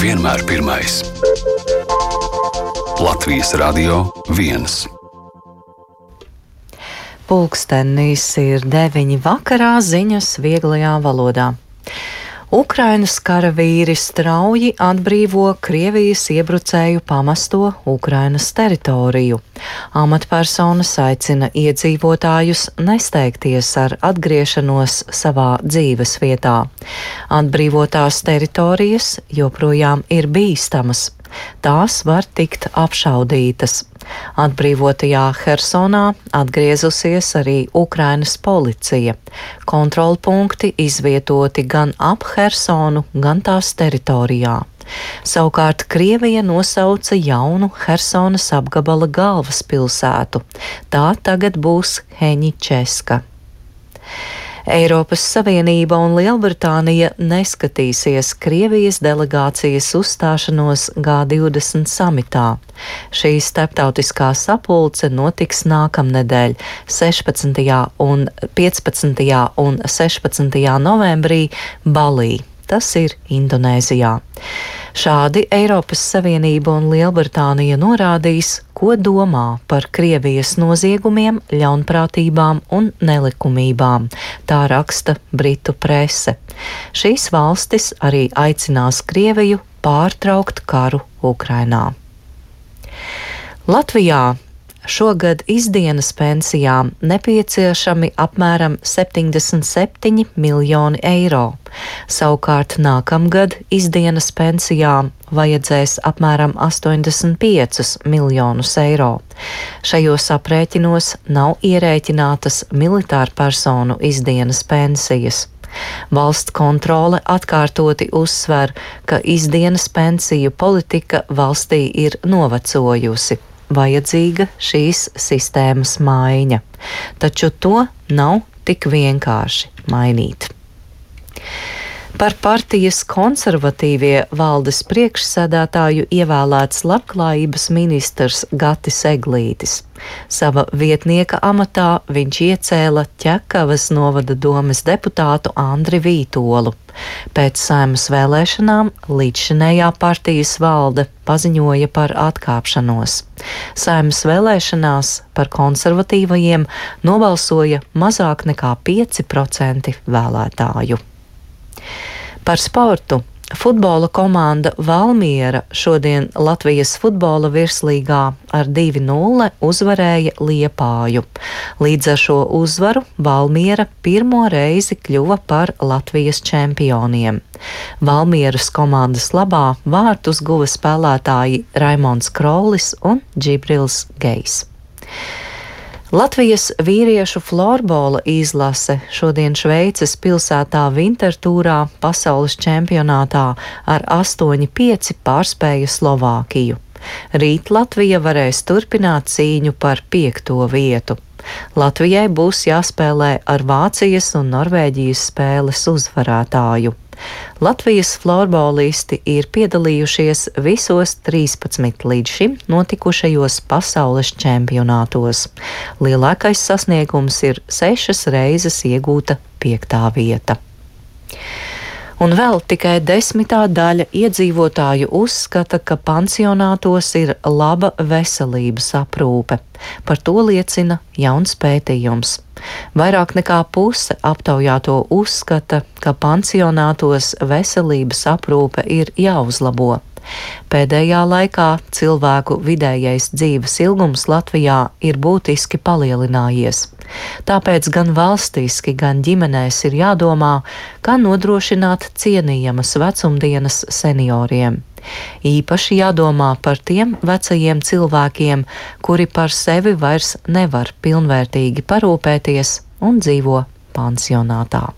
vienmēr pirmais. Latvijas Radio 1. Pulkstenis ir 9 vakarā, ziņas vieglajā valodā. Ukrainas karavīri strauji atbrīvo Krievijas iebrucēju pamesto Ukrainas teritoriju. Amatpersonas aicina iedzīvotājus nesteigties ar atgriešanos savā dzīves vietā. Atbrīvotās teritorijas joprojām ir bīstamas. Tās var tikt apšaudītas. Atbrīvotajā Hersonā atgriezusies arī Ukrainas policija. Kontrolpunkti izvietoti gan ap Hersonu, gan tās teritorijā. Savukārt Krievija nosauca jaunu Hersonas apgabala galvaspilsētu. Tā tagad būs Heņičeska. Eiropas Savienība un Lielbritānija neskatīsies Krievijas delegācijas uzstāšanos G20 samitā. Šī starptautiskā sapulce notiks nākamnedēļ, 15. un 16. novembrī Balī. Tas ir Indonēzijā. Šādi Eiropas Savienība un Lielbritānija norādīs, ko domā par Krievijas noziegumiem, ļaunprātībām un nelikumībām. Tā raksta Britu prese. Šīs valstis arī aicinās Krieviju pārtraukt karu Ukrainā. Latvijā šogad izdienas pensijām nepieciešami apmēram 77 miljoni eiro. Savukārt nākamgad izdienas pensijām vajadzēs apmēram 85 miljonus eiro. Šajos aprēķinos nav ierēķinātas militārpersonu izdienas pensijas. Valsts kontrole atkārtoti uzsver, ka izdienas pensiju politika valstī ir novecojusi. Vajadzīga šīs sistēmas maiņa, taču to nav tik vienkārši mainīt. Par partijas konservatīvie valdes priekšsēdētāju ievēlēts labklājības ministrs Gatis Eglītis. Sava vietnieka amatā viņš iecēla Ķekavas novada domes deputātu Andri Vītolu. Pēc Saeimas vēlēšanām līdzšinējā partijas valde paziņoja par atkāpšanos. Saeimas vēlēšanās par konservatīvajiem nobalsoja mazāk nekā 5% vēlētāju. Par sportu. Futbola komanda Valmiera šodien Latvijas futbola virslīgā ar 2-0 uzvarēja Liepāju. Līdz ar šo uzvaru Valmiera pirmo reizi kļuva par Latvijas čempioniem. Valmieras komandas labā vārtus guva spēlētāji Raimonds Krolis un Džibrils Gejs. Latvijas vīriešu florbola izlase šodien Šveices pilsētā Vintertūrā pasaules čempionātā ar 8-5 pārspēja Slovākiju. Rīt Latvija varēs turpināt cīņu par 5. vietu. Latvijai būs jāspēlē ar Vācijas un Norvēģijas spēles uzvarētāju. Latvijas florbolisti ir piedalījušies visos 13 līdz šim notikušajos pasaules čempionātos. Lielākais sasniegums ir 6 reizes iegūta 5. vieta. Un vēl tikai 10. daļa iedzīvotāju uzskata, ka pansionātos ir laba veselības aprūpe. Par to liecina jauns pētījums. Vairāk nekā puse aptaujāto uzskata, ka pansionātos veselības aprūpe ir jāuzlabo. Pēdējā laikā cilvēku vidējais dzīves ilgums Latvijā ir būtiski palielinājies. Tāpēc gan valstiski, gan ģimenēs ir jādomā, kā nodrošināt cienījamas vecumdienas senioriem. Īpaši jādomā par tiem vecajiem cilvēkiem, kuri par sevi vairs nevar pilnvērtīgi parūpēties un dzīvo pansionātā.